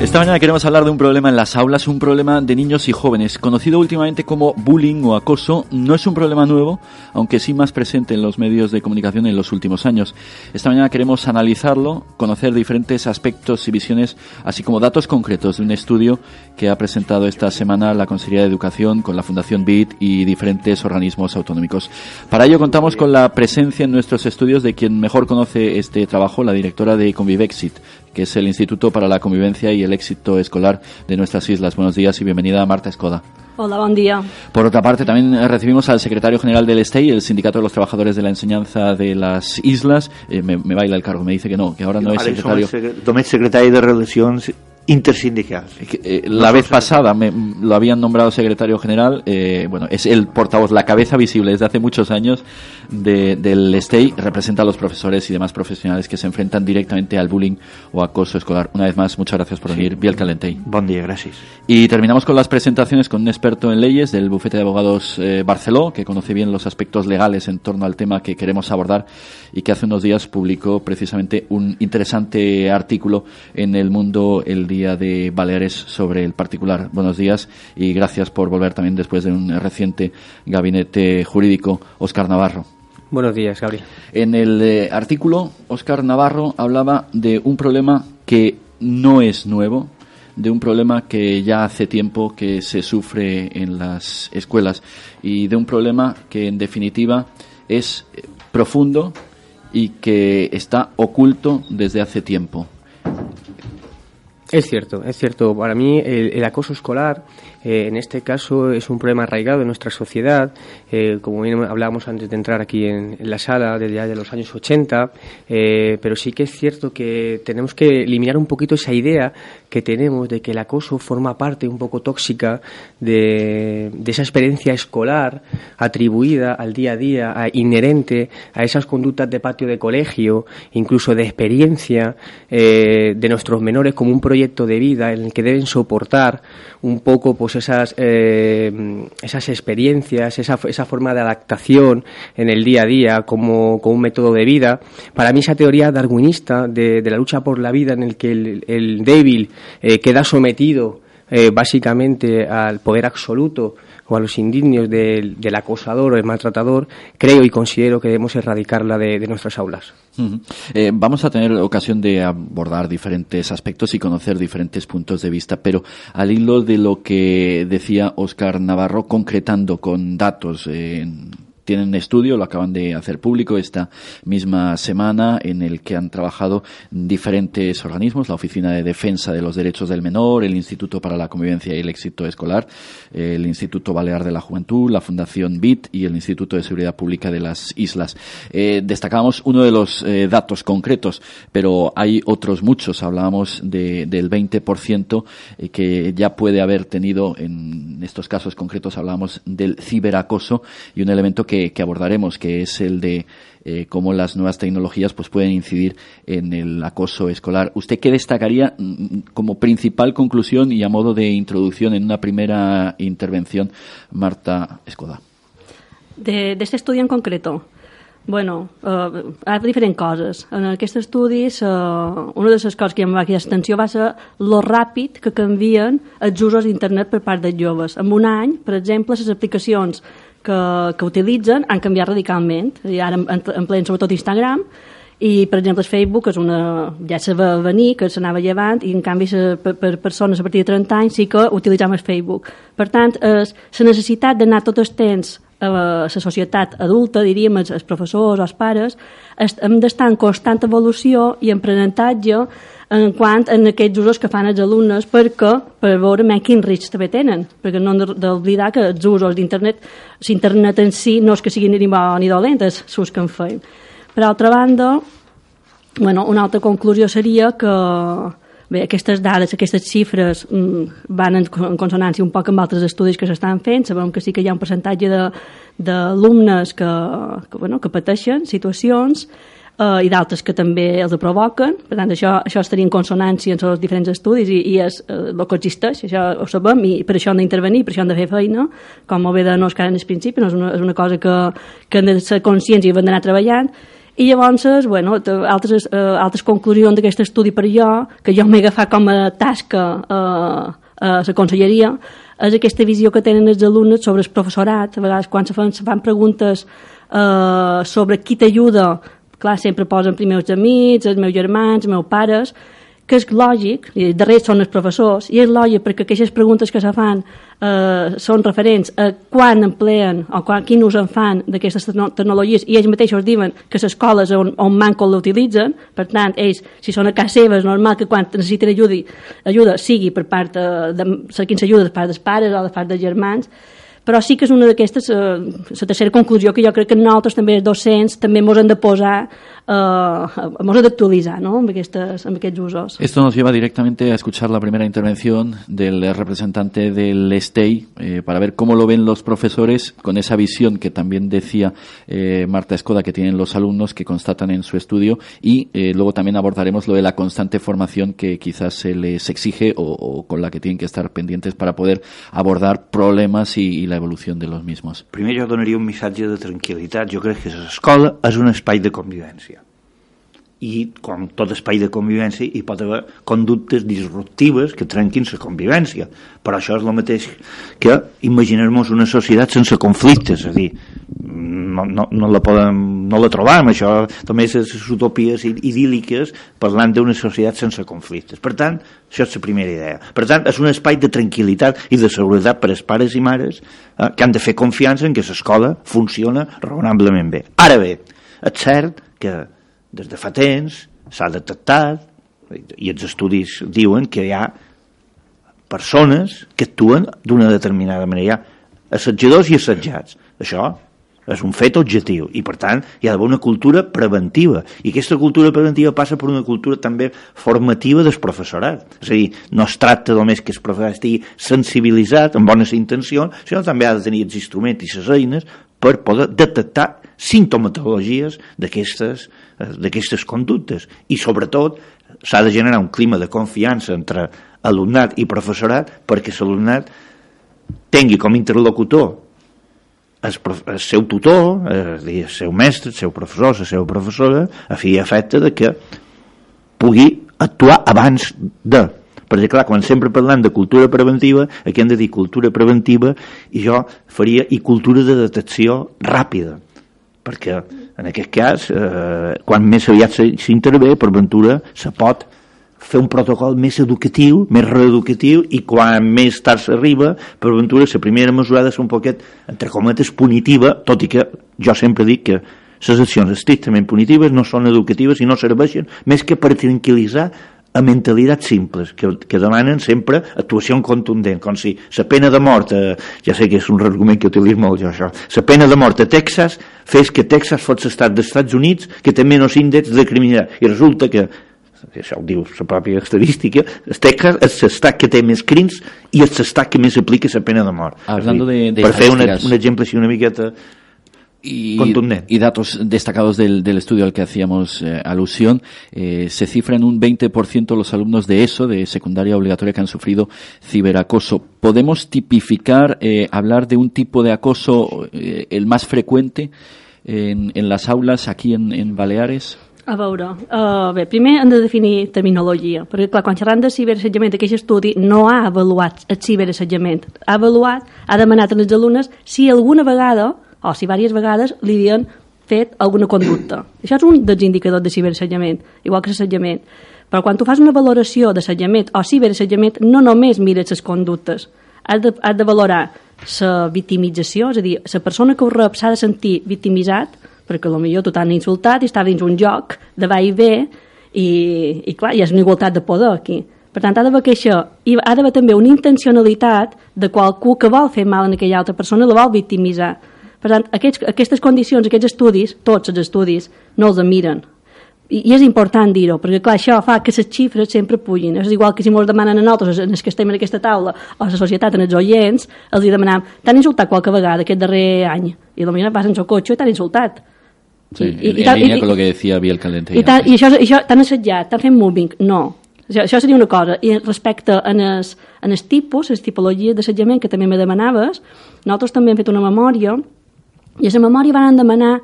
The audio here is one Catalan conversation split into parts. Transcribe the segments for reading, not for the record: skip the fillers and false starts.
Esta mañana queremos hablar de un problema en las aulas, un problema de niños y jóvenes, conocido últimamente como bullying o acoso. No es un problema nuevo, aunque sí más presente en los medios de comunicación en los últimos años. Esta mañana queremos analizarlo, conocer diferentes aspectos y visiones, así como datos concretos de un estudio que ha presentado esta semana la Consejería de Educación con la Fundación BIT y diferentes organismos autonómicos. Para ello contamos con la presencia en nuestros estudios de quien mejor conoce este trabajo, la directora de Convivexit, que es el Instituto para la Convivencia y el Éxito Escolar de nuestras islas. Buenos días y bienvenida, Marta Escoda. Hola, buen día. Por otra parte, también recibimos al secretario general del STEI, el Sindicato de los Trabajadores de la Enseñanza de las Islas. Me baila el cargo, me dice que no, que ahora no es secretario. Tomé secretario de Relaciones Intersindicales. La vez pasada lo habían nombrado secretario general. Bueno, es el portavoz, la cabeza visible desde hace muchos años del STEI. Representa a los profesores y demás profesionales que se enfrentan directamente al bullying o acoso escolar. Una vez más, muchas gracias por venir. Biel Calentei. Buen día, gracias. Y terminamos con las presentaciones con un experto en leyes del bufete de abogados Barceló, que conoce bien los aspectos legales en torno al tema que queremos abordar y que hace unos días publicó precisamente un interesante artículo en El Mundo el día de Baleares sobre el particular. Buenos días y gracias por volver también después de un reciente gabinete jurídico. Óscar Navarro. Buenos días, Gabriel. En el artículo, Óscar Navarro hablaba de un problema que no es nuevo, de un problema que ya hace tiempo que se sufre en las escuelas y de un problema que en definitiva es profundo y que está oculto desde hace tiempo. Es cierto. Para mí el acoso escolar, en este caso, es un problema arraigado en nuestra sociedad, como bien hablábamos antes de entrar aquí en la sala, desde ya de los años 80, pero sí que es cierto que tenemos que eliminar un poquito esa idea que tenemos de que el acoso forma parte un poco tóxica de esa experiencia escolar atribuida al día a día, inherente a esas conductas de patio de colegio, incluso de experiencia de nuestros menores como un proyecto de vida en el que deben soportar un poco pues esas experiencias, esa forma de adaptación en el día a día como un método de vida. Para mí esa teoría darwinista de la lucha por la vida en el que el débil queda sometido básicamente al poder absoluto o a los indignios del acosador o el maltratador, creo y considero que debemos erradicarla de nuestras aulas. Uh-huh. Vamos a tener ocasión de abordar diferentes aspectos y conocer diferentes puntos de vista, pero al hilo de lo que decía Óscar Navarro, concretando con datos, tienen un estudio, lo acaban de hacer público esta misma semana, en el que han trabajado diferentes organismos, la Oficina de Defensa de los Derechos del Menor, el Instituto para la Convivencia y el Éxito Escolar, el Instituto Balear de la Juventud, la Fundación BIT y el Instituto de Seguridad Pública de las Islas. Destacamos uno de los datos concretos, pero hay otros muchos. Hablábamos del 20% que ya puede haber tenido en estos casos concretos. Hablábamos del ciberacoso y un elemento que abordaremos, que es el de cómo las nuevas tecnologías pues pueden incidir en el acoso escolar. ¿Usted qué destacaría como principal conclusión y a modo de introducción en una primera intervención, Marta Escoda? De este estudi en concreto? Bueno, hi ha diferents coses. En aquest estudi, una de les coses que em va cridar l'atenció va ser lo ràpid que canvien els usos d'internet per part dels joves. En un any, per exemple, les aplicacions que utilitzen han canviat radicalment. I ara empleen sobretot Instagram i, per exemple, el Facebook ja se va venir, que s'anava llevant, i en canvi per persones a partir de 30 anys sí que utilitzem el Facebook. Per tant, la necessitat d'anar tot el temps a la societat adulta, diríem, els professors o els pares, hem d'estar en constant evolució i en aprenentatge en quant a aquests usos que fan els alumnes per veure quins riscs també tenen, perquè no hem d'oblidar que els usos d'internet, l'internet en si no és que siguin ni bo ni dolent, és l'ús que en feim. Per altra banda, una altra conclusió seria que aquestes dades, aquestes xifres van en consonància un poc amb altres estudis que s'estan fent. Sabem que sí que hi ha un percentatge d'alumnes que pateixen situacions i d'altres que també els provoquen. Per tant, això estaria en consonància en els diferents estudis i és el que existeix, això ho sabem, i per això hem d'intervenir, per això hem de fer feina, com molt bé de no és que ara en el principi, no és una cosa que hem de ser conscients i hem d'anar treballant. I llavors, bueno, altres conclusions d'aquest estudi per jo, que jo m'he agafat com a tasca a la conselleria, és aquesta visió que tenen els alumnes sobre el professorat. A vegades quan se fan preguntes sobre qui t'ajuda, clar, sempre posen primer els amics, els meus germans, els meus pares, que és lògic, i darrere són els professors, i és lògic perquè aquestes preguntes que se fan són referents a quan empleen o quin ús en fan d'aquestes tecnologies, i ells mateixos diuen que les escoles on manco l'utilitzen. Per tant, ells, si són a casa seva, és normal que quan necessiten ajuda sigui per part cerquin ajuda de part dels pares o de part dels germans. Però sí que és una d'aquestes, la tercera conclusió, que jo crec que nosaltres també, els docents, també ens hem de posar, ens hem d'actualitzar, ¿no?, amb aquests usos. Esto nos lleva directamente a escuchar la primera intervención del representante del STEI para ver cómo lo ven los profesores con esa visión que también decía Marta Escoda que tienen los alumnos, que constatan en su estudio, y luego también abordaremos lo de la constante formación que quizás se les exige o con la que tienen que estar pendientes para poder abordar problemas y la evolución de los mismos. Primer jo donaria un missatge de tranquil·litat. Jo crec que l'escola és un espai de convivència. I com tot espai de convivència hi pot haver conductes disruptives que trenquin la convivència. Però això és el mateix que imaginar-nos una societat sense conflictes. És a dir, no la trobam, això només és utopies idíl·liques parlant d'una societat sense conflictes. Per tant, això és la primera idea. Per tant, és un espai de tranquil·litat i de seguretat per als pares i mares que han de fer confiança en que l'escola funciona raonablement bé. Ara bé, és cert que des de fa temps s'ha detectat, i els estudis diuen que hi ha persones que actuen d'una determinada manera. Hi ha assetjadors i assetjats. Això és un fet objectiu i, per tant, hi ha d'haver una cultura preventiva, i aquesta cultura preventiva passa per una cultura també formativa del professorat. És a dir, no es tracta només que el professorat estigui sensibilitzat amb bones intencions, sinó també ha de tenir els instruments i les eines per poder detectar sintomatologies d'aquestes conductes, i sobretot s'ha de generar un clima de confiança entre alumnat i professorat perquè l'alumnat tingui com a interlocutor el seu tutor, el seu mestre, el seu professor, la seva professora, a fi i efecte de que pugui actuar abans de. Perquè, clar, quan sempre parlant de cultura preventiva, aquí hem de dir cultura preventiva, i jo faria i cultura de detecció ràpida, perquè en aquest cas, quan més aviat s'intervé, per ventura se pot fer un protocol més educatiu, més reeducatiu, i quan més tard s'arriba, per ventura la primera mesura ha de ser un poquet, entre cometes, punitiva, tot i que jo sempre dic que les accions estrictament punitives no són educatives i no serveixen més que per tranquil·litzar a mentalitats simples, que demanen sempre actuació contundent, com si la pena de mort, ja sé que és un argument que utilitzo molt jo, això, la pena de mort a Texas fes que Texas fos l'estat dels Estats Units que té menys índex de criminalitat, i resulta que, això ho diu la pròpia estadística, Texas és l'estat que té més crims i és l'estat que més aplica la pena de mort. Per fer un exemple així una miqueta y datos destacados del estudio al que hacíamos alusión, se cifra en un 20% los alumnos de ESO, de secundaria obligatoria, que han sufrido ciberacoso. ¿Podemos tipificar, hablar de un tipo de acoso el más frecuente en las aulas aquí en Baleares? A veure, bé, primer hem de definir terminologia, perquè clar, quan xerram de ciberassetjament, aquest estudi no ha avaluat el ciberassetjament, ha demanat als alumnes si alguna vegada o si diverses vegades li havien fet alguna conducta. Això és un dels indicadors de ciberassetjament, igual que l'assetjament. Però quan tu fas una valoració d'assetjament o ciberassetjament, no només mires les conductes, has de valorar la victimització, és a dir, la persona que ho rep s'ha de sentir victimitzat, perquè potser tu t'han insultat i estava dins un joc de va i ve, i clar, hi ha una igualtat de poder aquí. Per tant, ha d'haver queixa, i ha d'haver també una intencionalitat de qualcú que vol fer mal a aquella altra persona, la vol victimitzar. Per tant, aquestes condicions, aquests estudis, tots els estudis, no els miren. I és important dir-ho, perquè clar, això fa que les xifres sempre pugin. És igual que si ens demanen a nosaltres, en els que estem en aquesta taula, o a la societat, en els oients, els demanem, t'han insultat qualque vegada aquest darrer any, i potser vas en el cotxe i t'han insultat. Sí, en línia con lo que decía Biel Calente. I això t'han assetjat, t'han fet mobbing? No. Això seria una cosa. I respecte a els tipus, les tipologies d'assetjament que també me demanaves, nosaltres també hem fet una memòria, i a la memòria van demanar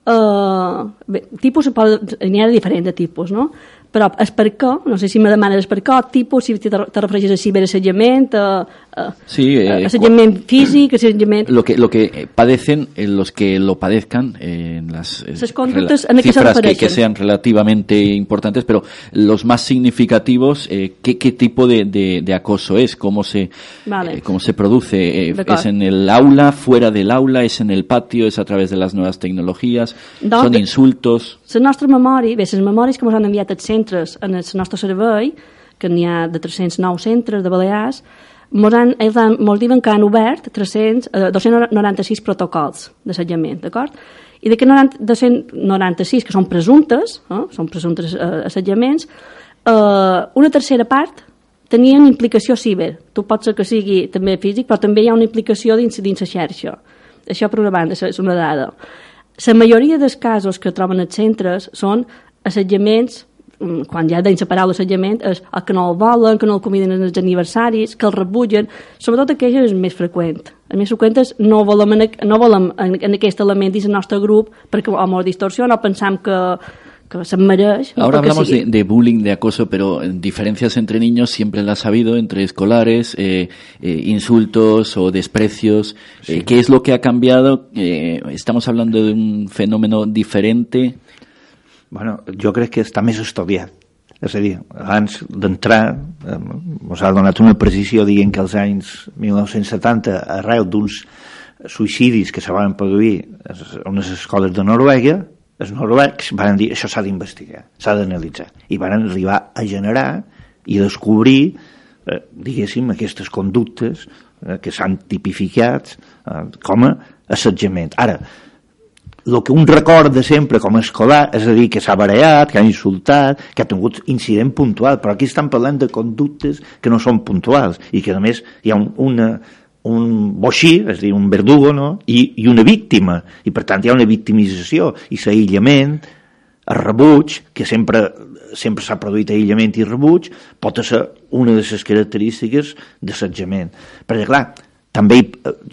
tipus n'hi ha de diferents de tipus, no? Però és per què, no sé si me demanes per què, tipus, si te refereixes a ciberassetjament, assetjament físic, assetjament... Lo que padecen, los que lo padezcan, en las cifras que sean relativamente importantes, pero los más significativos, ¿qué tipo de acoso es? ¿Cómo se produce? ¿Es en el aula, fuera del aula, es en el patio, es a través de las nuevas tecnologías, son insultos? Les nostres memòries, les memòries que ens han enviat els centres en el nostre servei, que n'hi ha de 309 centres de Balears, ens diuen que han obert 296 protocols d'assetjament, d'acord? I d'aquests 296, que són presumptes assetjaments, una tercera part tenien implicació ciber. Tu pot ser que sigui també físic, però també hi ha una implicació dins la xarxa. Això per una banda és una dada. La majoria dels casos que troben els centres són assetjaments, quan ja dins la paraula assetjament, és el que no el volen, que no el conviden als aniversaris, que el rebutgen, sobretot aquell és el més freqüent. El més freqüent és no volem en aquest element dins el nostre grup perquè o ens distorsiona o pensam que se mereix. Ahora hablamos de bullying, de acoso, pero diferencias entre niños siempre las ha habido, entre escolares, insultos o desprecios. Sí. ¿Qué es lo que ha cambiado? ¿Estamos hablando de un fenómeno diferente? Bueno, jo crec que està més estudiat. És a dir, abans d'entrar, ens ha donat una precisió dient que als anys 1970, arrel d'uns suïcidis que se van produir a unes escoles de Noruega, els noruecs van dir això s'ha d'investigar, s'ha d'analitzar. I van arribar a generar i descobrir, diguéssim, aquestes conductes que s'han tipificat com a assetjament. Ara, el que un recorda sempre com a escolar, és a dir, que s'ha barallat, que ha insultat, que ha tingut incident puntual, però aquí estan parlant de conductes que no són puntuals i que a més hi ha un boixí, és a dir, un verdugo, no? I una víctima, i per tant hi ha una victimització i l'aïllament, el rebuig, que sempre s'ha produït aïllament i rebuig, pot ser una de les característiques d'assetjament. Perquè clar, també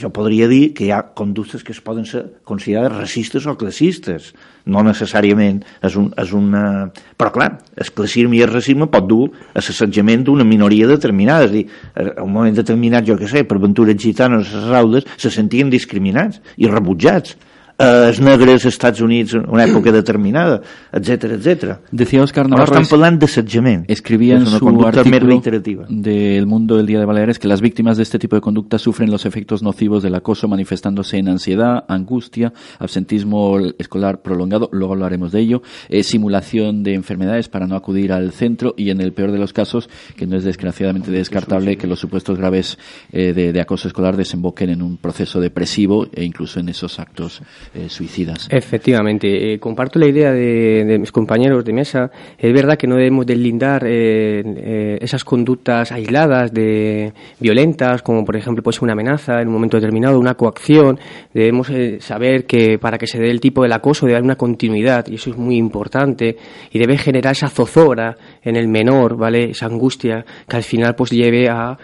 jo podria dir que hi ha conductes que es poden ser considerades racistes o classistes. No necessàriament és una... Però clar, el classisme i el racisme pot dur a l'assetjament d'una minoria determinada. És a dir, en un moment determinat, jo què sé, per aventures gitanes a les aules se sentien discriminats i rebutjats. Els negres als Estats Units en una època determinada, etcétera, etcétera. Decía Óscar Navarro, están hablando de assetjament. Escribía en su artículo del Mundo del Día de Baleares que las víctimas de este tipo de conducta sufren los efectos nocivos del acoso manifestándose en ansiedad, angustia, absentismo escolar prolongado, luego hablaremos de ello, simulación de enfermedades para no acudir al centro y en el peor de los casos, que no es desgraciadamente descartable, que los supuestos graves de acoso escolar desemboquen en un proceso depresivo e incluso en esos actos suicidas. Efectivamente, comparto la idea de mis compañeros de mesa. Es verdad que no debemos deslindar esas conductas aisladas, violentas, como por ejemplo puede ser una amenaza en un momento determinado, una coacción. Debemos saber que para que se dé el tipo del acoso debe haber una continuidad, y eso es muy importante, y debe generar esa zozobra en el menor, ¿vale? Esa angustia que al final pues lleve a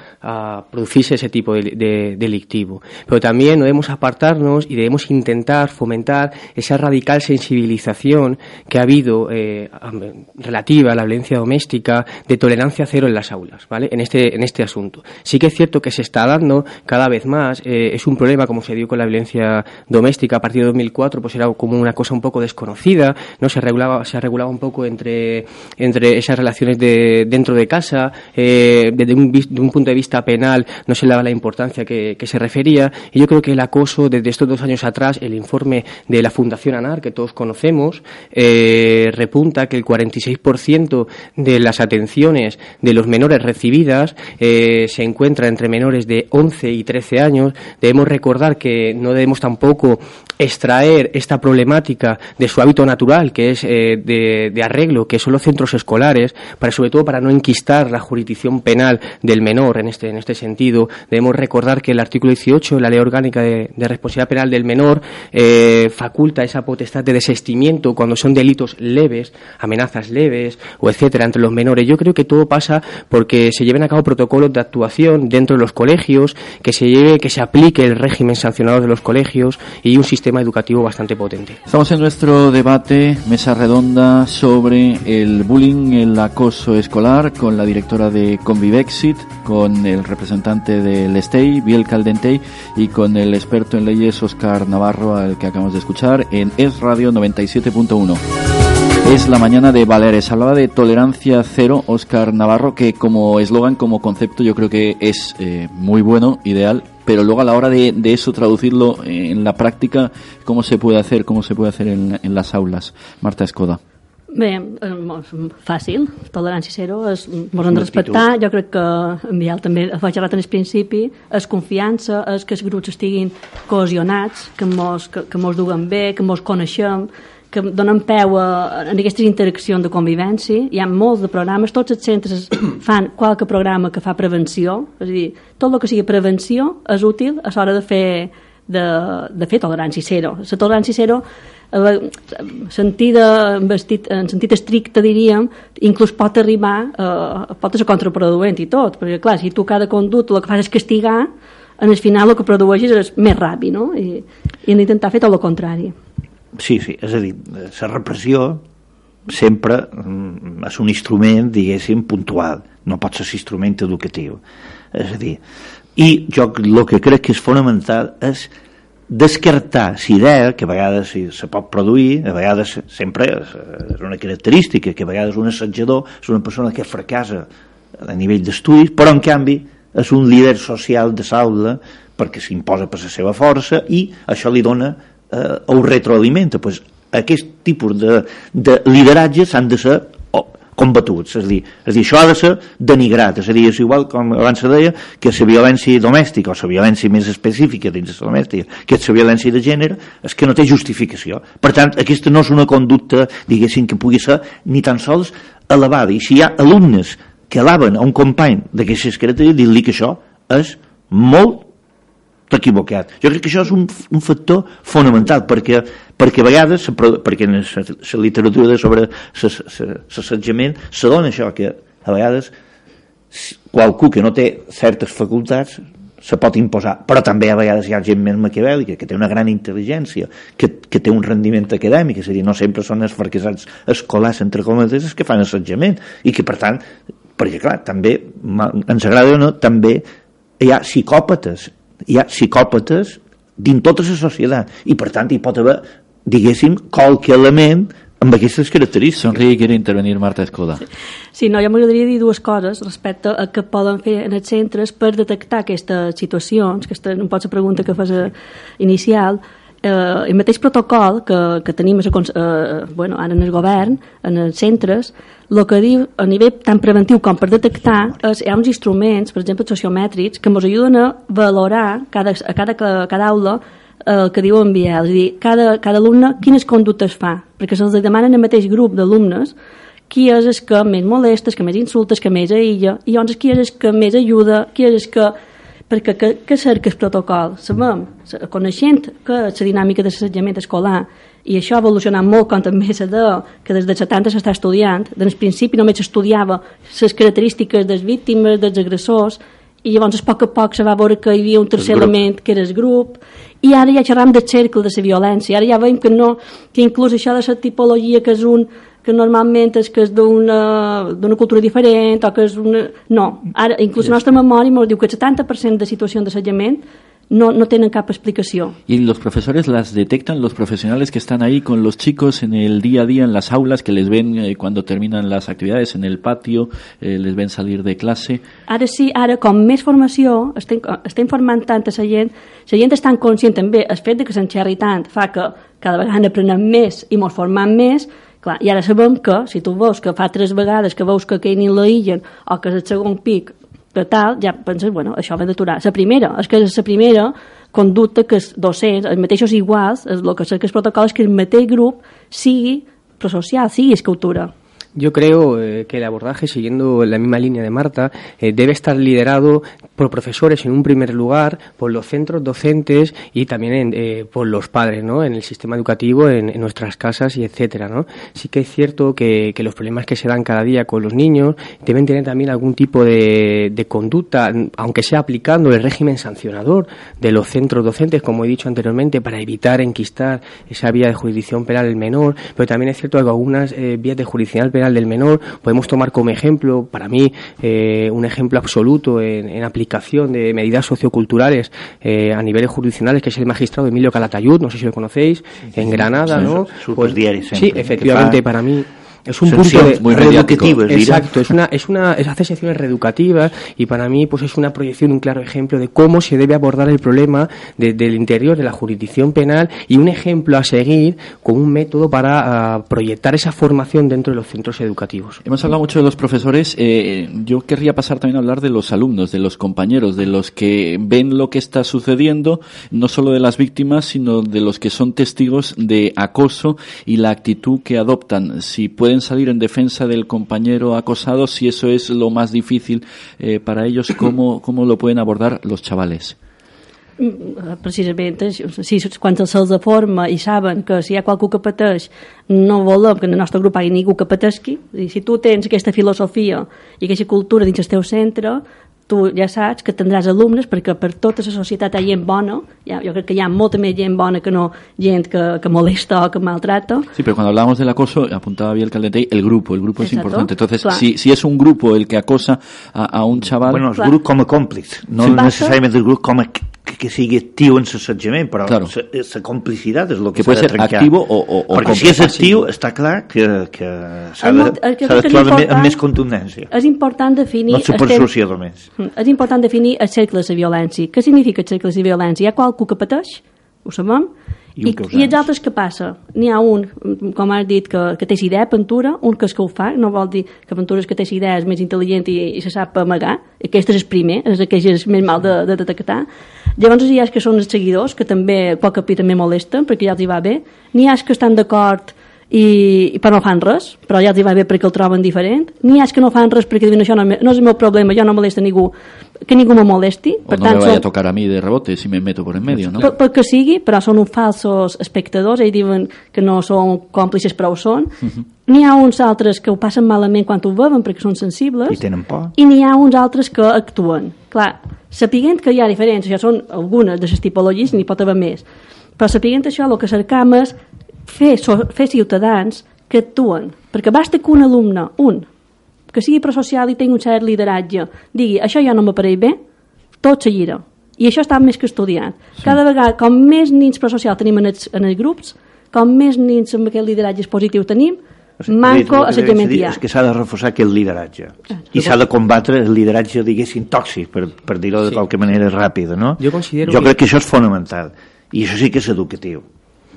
producirse ese tipo de delictivo. Pero también no debemos apartarnos y debemos intentar fomentar esa radical sensibilización que ha habido relativa a la violencia doméstica, de tolerancia cero en las aulas, ¿vale? En este asunto. Sí que es cierto que se está dando cada vez más, es un problema como se dio con la violencia doméstica a partir de 2004, pues era como una cosa un poco desconocida, no se regulaba un poco entre esas relaciones dentro de casa, desde un punto de vista penal no se le daba la importancia que se refería, y yo creo que el acoso desde estos 2 años atrás, el informe de la Fundación ANAR, que todos conocemos, repunta que el 46% de las atenciones de los menores recibidas se encuentra entre menores de 11 y 13 años. Debemos recordar que no debemos tampoco extraer esta problemática de su hábito natural, que es de arreglo, que son los centros escolares, sobre todo para no enquistar la jurisdicción penal del menor en este sentido. Debemos recordar que el artículo 18 de la Ley Orgánica de Responsabilidad Penal del Menor faculta esa potestad de desistimiento cuando son delitos leves, amenazas leves o etcétera entre los menores. Yo creo que todo pasa porque se lleven a cabo protocolos de actuación dentro de los colegios, que se aplique el régimen sancionador de los colegios y un sistema educativo bastante potente. Estamos en nuestro debate, mesa redonda, sobre el bullying, el acoso escolar, con la directora de Convivexit, con el representante del STEI, Biel Caldentey, y con el experto en leyes, Óscar Navarro, al que acabamos de escuchar en Es Radio 97.1. Es la mañana de Baleares. Hablaba de tolerancia cero, Óscar Navarro, que como eslogan, como concepto, yo creo que es muy bueno, ideal, pero luego a la hora de eso traducirlo en la práctica, ¿cómo se puede hacer en las aules? Marta Escoda. Bé, fàcil, tolerància zero, ens hem de respectar. Jo crec que en Biel també ha xerrat en el principi, és confiança, és que els grups estiguin cohesionats, que mos duguen bé, que mos coneixem, que donen peu en aquestes interaccions de convivència. Hi ha molts de programes, tots els centres fan qualque programa que fa prevenció, és a dir, tot el que sigui prevenció és útil a l'hora de fer tolerància zero. La tolerància zero, en sentit estricte, diríem, inclús pot arribar pot ser contraproduent i tot, perquè clar, si tu cada conducta el que fas és castigar, en el final el que produeixes és més ràpid, no? I hem d'intentar fer tot el contrari. Sí, és a dir, la repressió sempre és un instrument, diguéssim, puntual, no pot ser instrument educatiu. És a dir, i jo el que crec que és fonamental és descartar l'idea, que a vegades se pot produir, a vegades sempre és una característica, que a vegades un assetjador és una persona que fracassa a nivell d'estudis, però en canvi és un líder social de l'aula perquè s'imposa per la seva força i això li dona o retroalimenta. Pues aquest tipus de lideratge s'han de ser combatuts, és a dir, això ha de ser denigrat, és a dir, és igual com abans se deia que la violència domèstica o la violència més específica dins de la domèstica, que és la violència de gènere, és que no té justificació. Per tant, aquesta no és una conducta, diguéssim, que pugui ser ni tan sols elevada, i si hi ha alumnes que alaben a un company d'aquestes característiques, dir-li que això és molt equivocat. Jo crec que això és un factor fonamental, perquè a vegades, perquè en la literatura sobre l'assetjament se dona això, que a vegades qualcú que no té certes facultats se pot imposar, però també a vegades hi ha gent més maquiavèlica, que té una gran intel·ligència, que té un rendiment acadèmic, és a dir, no sempre són els fracassats escolars, entre cometes, que fan assetjament, i que per tant, perquè clar, també ens agrada o no, també hi ha psicòpates dins tota la societat, i per tant hi pot haver, diguéssim, qualque element amb aquestes característiques. Sonríe i quiere intervenir Marta Escoda. Sí, no, jo m'agradaria dir dues coses respecte a què poden fer en els centres per detectar aquestes situacions, aquesta no pot ser pregunta que fas inicial. El mateix protocol que tenim ara en el govern, en els centres, el que diu a nivell tan preventiu com per detectar hi ha uns instruments, per exemple sociomètrics, que ens ajuden a valorar a cada aula el que diu en Biel, és a dir, cada alumne quines conductes fa, perquè se'ls demanen el mateix grup d'alumnes qui és el que més molesta, el que més insulta, el que més aïlla, i llavors qui és el que més ajuda, qui és el que... perquè què cerca el protocol? Sabem, coneixent que la dinàmica de l'assetjament escolar, i això ha evolucionat molt com també se diu que des dels 70 s'està estudiant, des principi només s'estudiava les característiques dels víctimes, dels agressors, i llavors a poc se va veure que hi havia un tercer element que era el grup, i ara ja xerram del cercle de la violència, ara ja veiem que inclús això de la tipologia que és que normalment és que és d'una cultura diferent o que és una... No, ara inclús la nostra memòria ens diu que el 70% de situacions d'assetjament no tienen cap explicación. ¿Y los profesores las detectan, los profesionales que están ahí con los chicos en el día a día, en las aulas, que les ven cuando terminan las actividades en el patio, les ven salir de clase? Ara sí, ara com més formació està informant tant a la gent és tan conscient també, el fet de que se'n xerri tant fa que cada vegada aprenem més i ens formem més. Clar, i ara sabem que si tu veus que fa 3 vegades que veus que aquell ni l'aïllen o que és el segon pic de tal, ja penses, bueno, això va d'aturar. La primera conducta que els docents, els mateixos iguals, el que és el protocol és que el mateix grup sigui prosocial, sigui escultura. Yo creo que el abordaje, siguiendo la misma línea de Marta, debe estar liderado por profesores en un primer lugar, por los centros docentes y también por los padres, ¿no? En el sistema educativo, en nuestras casas y etcétera, ¿no? Sí que es cierto que los problemas que se dan cada día con los niños deben tener también algún tipo de conducta, aunque sea aplicando el régimen sancionador de los centros docentes, como he dicho anteriormente, para evitar enquistar esa vía de jurisdicción penal del menor, pero también es cierto que algunas vías de jurisdicción penal del menor podemos tomar como ejemplo, para mí, un ejemplo absoluto en aplicación de medidas socioculturales a niveles jurisdiccionales, que es el magistrado Emilio Calatayud, no sé si lo conocéis, en Granada, ¿no? Pues, sí, efectivamente, para mí es un punto muy reeducativo. Exacto, hace secciones reeducativas y para mí pues es una proyección, un claro ejemplo de cómo se debe abordar el problema del interior de la jurisdicción penal y un ejemplo a seguir como un método para proyectar esa formación dentro de los centros educativos. Hemos hablado mucho de los profesores, yo querría pasar también a hablar de los alumnos, de los compañeros, de los que ven lo que está sucediendo, no solo de las víctimas, sino de los que son testigos de acoso y la actitud que adoptan. Si pueden salir en defensa del compañero acosado, si eso es lo más difícil para ellos, ¿cómo lo pueden abordar los chavales? Precisament, si quan se'ls forma i saben que si hi ha qualcú que pateix, no volem que en el nostre grup hi hagi ningú que pateixi, i si tu tens aquesta filosofia i aquesta cultura dins el teu centre, tu ja saps que tindràs alumnes, perquè per tota la societat hi ha gent bona, jo crec que hi ha molta més gent bona que no gent que molesta o que maltrata. Sí, pero cuando hablamos del acoso, apuntaba bien el Caldentey, el grupo es importante. Entonces, si es un grupo el que acosa a un chaval... Bueno, el grup com a còmplice, no necessàriament el grup com a que sigui actiu en l'assetjament, però la complicitat és el que s'ha de trencar. Que activo o perquè si és actiu, està clar que s'ha d'actuar amb més contundència. És important definir... No supersociar només. És important definir el cercle de la violència. Què significa el cercle de la violència? Hi ha qualcú que pateix, ho sabem, i els altres què passa? N'hi ha un, com has dit, que té idea, pintura, un que és que ho fa, no vol dir que pintura és que té idea, és més intel·ligent i se sap amagar, aquest és el primer, és aquell que és més mal de detectar. Llavors hi ha que són els seguidors, que també a poc a poc també molesten, perquè ja els hi va bé. N'hi ha que estan d'acord però no fan res, però ja els hi va bé perquè el troben diferent. N'hi ha que no fan res perquè diuen això no és el meu problema, jo no molesta ningú, que ningú me molesti. O no me vaya a tocar a mi de rebote si me meto por en medio, ¿no? Perquè sigui, però són uns falsos espectadors, ells diuen que no són còmplices, però ho són. N'hi ha uns altres que ho passen malament quan ho veuen perquè són sensibles. I tenen por. I n'hi ha uns altres que actuen. Clar, sapiguent que hi ha diferències, això són algunes de les tipologies, n'hi pot haver més, però sapiguent això, el que cercam és fer ciutadans que actuen, perquè basta que un alumne, que sigui prosocial i tingui un cert lideratge, digui, això ja no m'apareix bé, tot seguirà. I això està més que estudiat. Sí. Cada vegada, com més nins prosocials tenim en els grups, com més nins amb aquest lideratge positiu tenim, manco assetjament hi ha. És que s'ha de reforçar aquest lideratge. I s'ha de combatre el lideratge, diguéssim, tòxic, per dir-ho de qualque manera ràpida, no? Jo crec que això és fonamental. I això sí que és educatiu.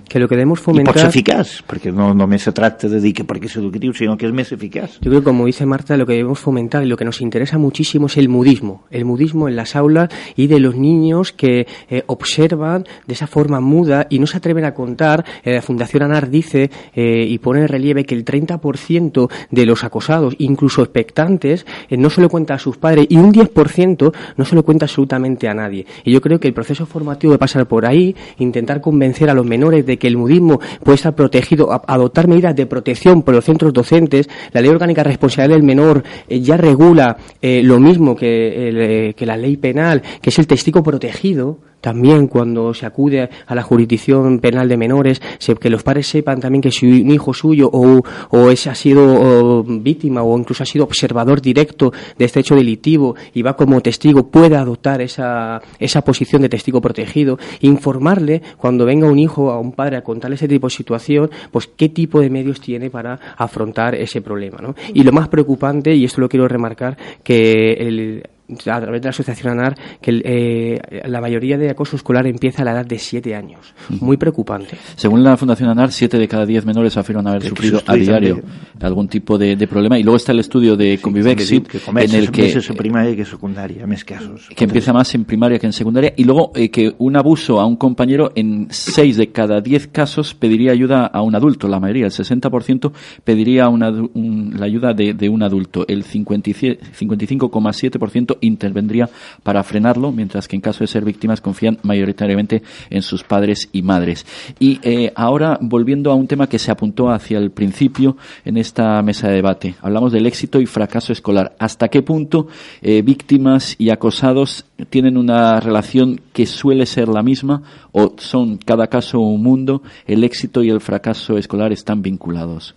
Que lo que debemos fomentar... Y pot ser eficaç, perquè no només se tracta de dir que perquè és educatiu, sinó que és més eficaç. Yo creo que, como dice Marta, lo que debemos fomentar y lo que nos interesa muchísimo es el mudismo en las aulas y de los niños que observan de esa forma muda y no se atreven a contar. La Fundación ANAR dice y pone en relieve que el 30% de los acosados, incluso expectantes, no se lo cuenta a sus padres y un 10% no se lo cuenta absolutamente a nadie. Y yo creo que el proceso formativo debe pasar por ahí, intentar convencer a los menores de que el mudismo puede estar protegido, adoptar medidas de protección por los centros docentes. La Ley Orgánica de Responsabilidad del Menor ya regula lo mismo que la ley penal, que es el testigo protegido. También cuando se acude a la jurisdicción penal de menores, que los padres sepan también que si un hijo suyo o ha sido víctima o incluso ha sido observador directo de este hecho delictivo y va como testigo, pueda adoptar esa posición de testigo protegido, informarle cuando venga un hijo a un padre a contarle ese tipo de situación, pues qué tipo de medios tiene para afrontar ese problema, ¿no? Y lo más preocupante, y esto lo quiero remarcar, que a través de la asociación ANAR, que la mayoría de acoso escolar empieza a la edad de 7 años. Muy preocupante. Según la Fundación ANAR, 7 de cada 10 menores afirman haber sufrido a diario algún tipo de problema. Y luego está el estudio de Convivexit, en el que primaria que secundaria, més casos. Que empieza más en primaria que en secundaria. Y luego que un abuso a un compañero, en 6 de cada 10 casos pediría ayuda a un adulto. La mayoría, el 60%, pediría la ayuda de un adulto. El 55,7% intervendría para frenarlo, mientras que en caso de ser víctimas confían mayoritariamente en sus padres y madres. Y ahora, volviendo a un tema que se apuntó hacia el principio en esta mesa de debate, hablamos del éxito y fracaso escolar. ¿Hasta qué punto víctimas y acosados tienen una relación que suele ser la misma, o son cada caso un mundo? ¿El éxito y el fracaso escolar están vinculados?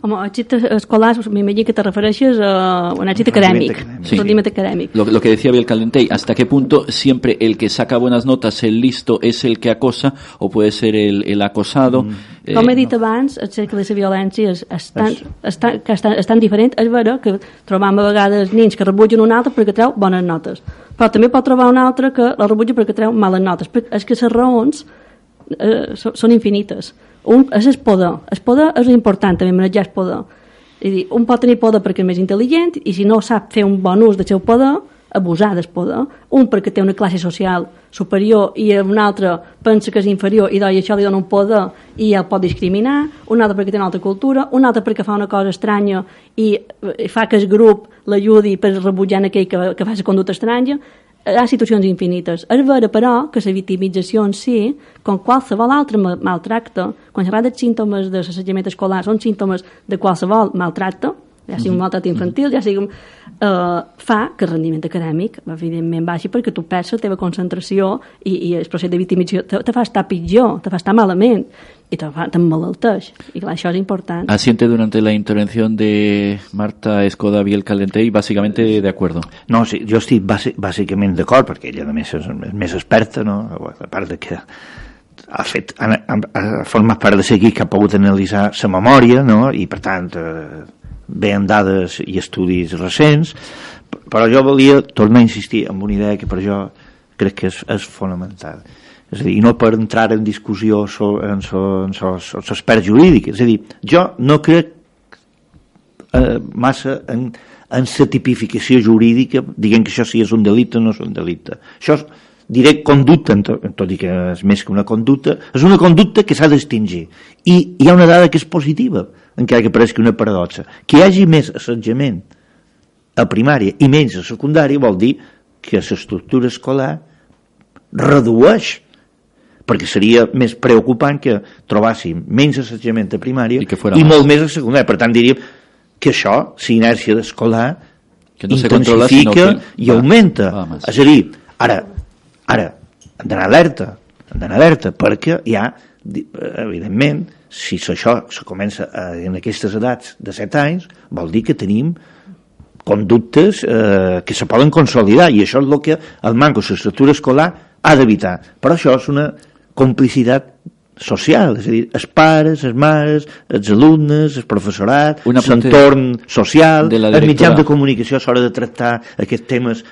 Home, èxit escolar, m'imagino que te refereixes a un èxit acadèmic. Rendiment acadèmic. Lo que decía Biel Caldentey, ¿hasta qué punto siempre el que saca buenas notas, el listo, es el que acosa, o puede ser el acosado? Com he dit abans, el cercle de la violència és tan diferent. És vera que trobam a vegades nens que rebutgen un altre perquè treu bones notes, però també pot trobar un altre que la rebutja perquè treu males notes. És que les raons són infinites. És el poder. El poder és important, també manejar el poder. És dir, un pot tenir poder perquè és més intel·ligent, i si no sap fer un bon ús del seu poder, abusar del poder. Un perquè té una classe social superior i un altre pensa que és inferior i això li dona un poder i el pot discriminar. Un altre perquè té una altra cultura. Un altre perquè fa una cosa estranya i fa que el grup l'ajudi per rebutjar aquell que fa la conducta estranya. Hi ha situacions infinites. És vera, però, que la victimització en si, com qualsevol altre maltracte, quan s'ha de símptomes de l'assetjament escolar, són símptomes de qualsevol maltracte, ja sigui un maltracte infantil, ja sigui fa que el rendiment acadèmic evidentment baixi, perquè tu perds la teva concentració i el procés de victimització te fa estar pitjor, te fa estar malament y te emmalalteix. Y claro, això és important. Asiente durante la intervención de Marta Escoda Biel Caldentey, básicamente de acuerdo. No, sí, jo estic bàsicament d'acord, perquè ella a més és més experta, no? A part de que ha format part de seguir que ha pogut analitzar la memòria, no? I per tant ve amb dades i estudis recents, però jo volia tornar a insistir en una idea que per jo crec que és fonamental. És a dir, i no per entrar en discussió en els experts jurídics. És a dir, jo no crec massa en la tipificació jurídica, diguem que això sí és un delicte o no és un delicte. Això és, diré, conducta, tot i que és més que una conducta, és una conducta que s'ha d'extingir. I hi ha una dada que és positiva, encara que pareixi una paradoxa. Que hi hagi més assetjament a primària i menys a secundària vol dir que l'estructura escolar redueix, perquè seria més preocupant que trobàssim menys assetjament a primària i molt més a secundària. Per tant, diríem que això, la inèrcia escolar, no intensifica i augmenta. És a dir, ara hem d'anar alerta, perquè hi ha, evidentment, si això se comença en aquestes edats de 7 anys, vol dir que tenim conductes que se poden consolidar, i això és el que el manco de l'estructura escolar ha d'evitar. Però això és una complicitat social, és a dir, els pares, les mares, els alumnes, el professorat, l'entorn social, els mitjans de comunicació a l'hora de tractar aquests temes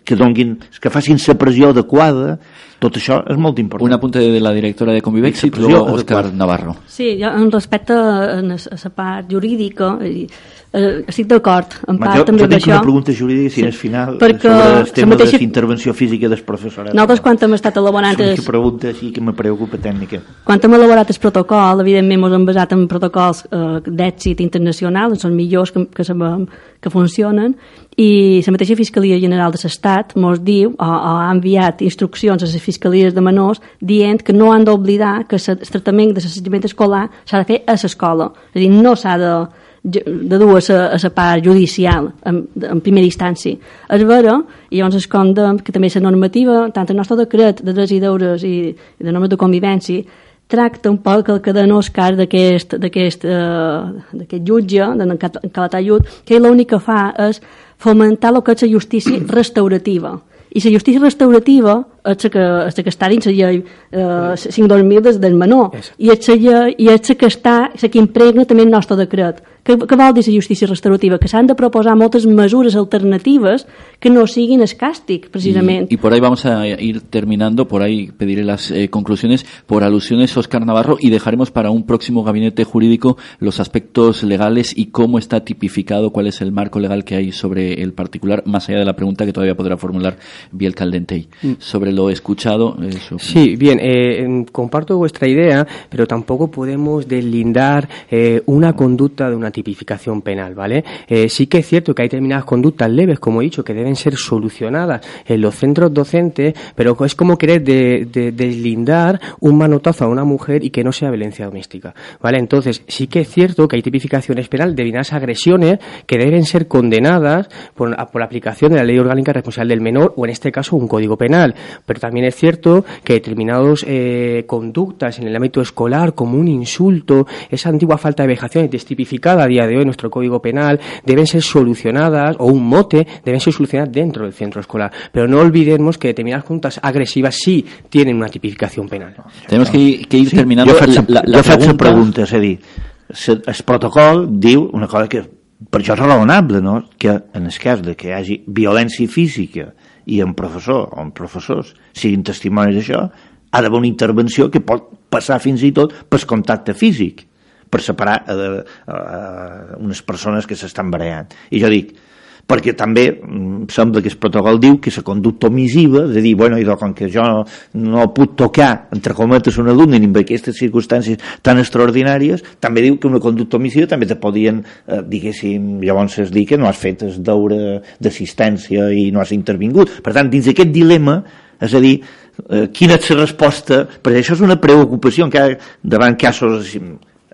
que facin la pressió adequada. Tot això és molt important. Un apunte de la directora de Convivexit, luego Óscar Navarro. Sí, jo respecte a la part jurídica estic d'acord en part també amb això. Jo tinc una pregunta jurídica, si és final, sobre el tema de l'intervenció física del professorat. Nosaltres, quan hem estat elaborant... És una pregunta així que me preocupa tècnica. Quan hem elaborat el protocol, evidentment ens hem basat en protocols d'èxit internacional, són millors que sabem que funcionen, i la mateixa Fiscalia General de l'Estat ens diu, o ha enviat instruccions a les fiscalies de menors dient que no han d'oblidar que el tractament de l'assetjament escolar s'ha de fer a l'escola, és a dir, no s'ha de dur a la part judicial en primera instància. És vera, i llavors es condem que també la normativa, tant el nostre decret de drets i deures i de normes de convivència, tracta un poc el que dona Òscar d'aquest jutge, d'en Calatayud, que l'únic que fa és fomentar el que és la justícia restaurativa. I la justícia restaurativa és la que està dins la llei 5/2000 del menor, i és la que impregna també el nostre decret. Què vol dir la justícia restaurativa? Que s'han de proposar moltes mesures alternatives que no siguin el càstig, precisament. Y por ahí vamos a ir terminando, por ahí pediré las conclusiones por alusiones, Óscar Navarro, y dejaremos para un próximo gabinete jurídico los aspectos legales y cómo está tipificado, cuál es el marco legal que hay sobre el particular, más allá de la pregunta que todavía podrá formular Biel Caldentey. Sobre lo escuchado... Sí, bien, comparto vuestra idea, pero tampoco podemos deslindar una conducta de una tipificación penal, ¿vale? Sí que es cierto que hay determinadas conductas leves, como he dicho, que deben ser solucionadas en los centros docentes, pero es como querer deslindar un manotazo a una mujer y que no sea violencia doméstica, ¿vale? Entonces, sí que es cierto que hay tipificaciones penales de determinadas agresiones que deben ser condenadas por la aplicación de la Ley Orgánica Responsable del Menor, o en este caso un Código Penal, pero también es cierto que determinadas conductas en el ámbito escolar, como un insulto, esa antigua falta de vejación tipificada a día de hoy en nuestro Código Penal, deben ser solucionadas, o un mote, deben ser solucionadas dentro del centro escolar. Pero no olvidemos que determinadas conductas agresivas sí tienen una tipificación penal. Tenemos que ir terminando. Jo faig la pregunta, és a dir, el protocol diu una cosa que per això és raonable, no? Que en el cas de que hi hagi violència física i en professor o en professors siguin testimonis d'això, ha d'haver una intervenció que pot passar fins i tot pel contacte físic, per separar unes persones que s'estan barallant. I jo dic, perquè també sembla que el protocol diu que la conducta omissiva, de dir, bueno, com que jo no puc tocar, entre cometes, un alumne en aquestes circumstàncies tan extraordinàries, també diu que una conducta omissiva també te podien, diguéssim, llavors es dir que no has fet el deure d'assistència i no has intervingut. Per tant, dins d'aquest dilema, és a dir, quina és la resposta, perquè això és una preocupació davant casos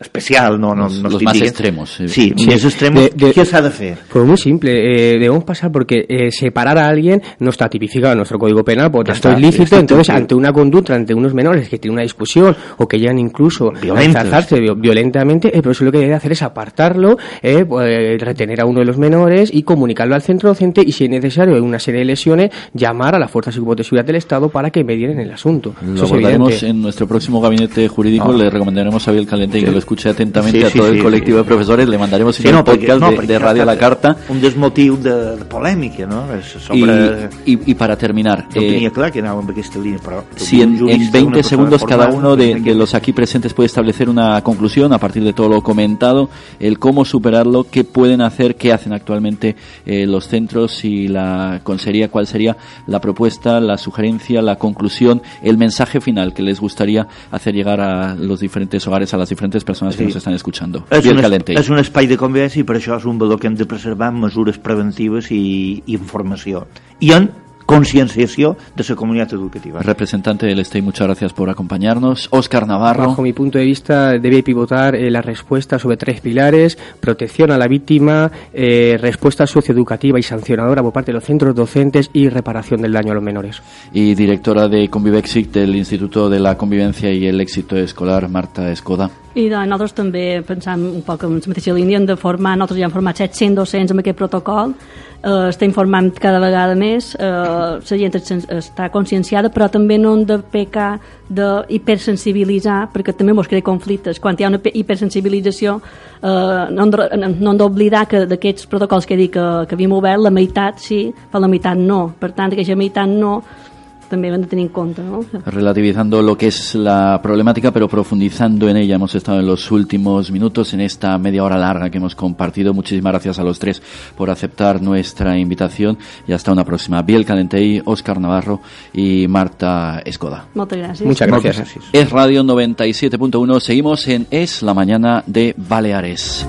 especial, los más extremos. Sí, más extremos. ¿Qué se ha de hacer? Pues muy simple, debemos pasar porque separar a alguien no está tipificado en nuestro Código Penal, porque esto es lícito. Entonces, ante una conducta, ante unos menores que tienen una discusión o que llegan incluso a enzarzarse violentamente, el profesor lo que debe hacer es apartarlo, retener a uno de los menores y comunicarlo al centro docente, y si es necesario, en una serie de lesiones, llamar a las fuerzas de seguridad del Estado para que medien el asunto. Lo abordaremos en nuestro próximo gabinete jurídico. Le recomendaremos a Biel Caldentey que lo escuche atentamente a todo el colectivo de profesores. Le mandaremos un podcast de Radio a la Carta. Un desmotiu de polèmica, no? Sobre... Y para terminar, jo tenia clar que anàvem amb aquesta línia, però si en 20 segundos cada uno de los aquí presentes puede establecer una conclusión a partir de todo lo comentado, el cómo superarlo, qué pueden hacer, qué hacen actualmente los centros y la consejería, cuál sería la propuesta, la sugerencia, la conclusión, el mensaje final que les gustaría hacer llegar a los diferentes hogares, a las diferentes personas que nos estan escuchando. És un espai de convivència i per això és un valor que hem de preservar amb mesures preventives i informació. I en concienciació de la comunitat educativa. Representante del STEI, muchas gracias por acompañarnos. Óscar Navarro. Bajo mi punto de vista, debe pivotar la respuesta sobre 3 pilares: protección a la víctima, respuesta socioeducativa y sancionadora por parte de los centros docentes y reparación del daño a los menores. Y directora de Convivexic del Instituto de la Convivencia y el Éxito Escolar, Marta Escoda. I nosaltres també pensam un poc en la mateixa línia, hem de formar, nosaltres ja hem format 700 docents amb aquest protocol, estem formant cada vegada més, la gent està conscienciada, però també no hem de pecar d'hipersensibilitzar, perquè també ens crea conflictes. Quan hi ha una hipersensibilització, no hem d'oblidar que d'aquests protocols que he dit que havíem obert, la meitat sí, però la meitat no. Per tant, aquella meitat no, también van a tener en cuenta, ¿no? Relativizando lo que es la problemática, pero profundizando en ella. Hemos estado en los últimos minutos, en esta media hora larga que hemos compartido. Muchísimas gracias a los tres por aceptar nuestra invitación y hasta una próxima. Biel Caldentey, Óscar Navarro y Marta Escoda. Muchas gracias. Muchas gracias. Es Radio 97.1. Seguimos en Es la Mañana de Baleares.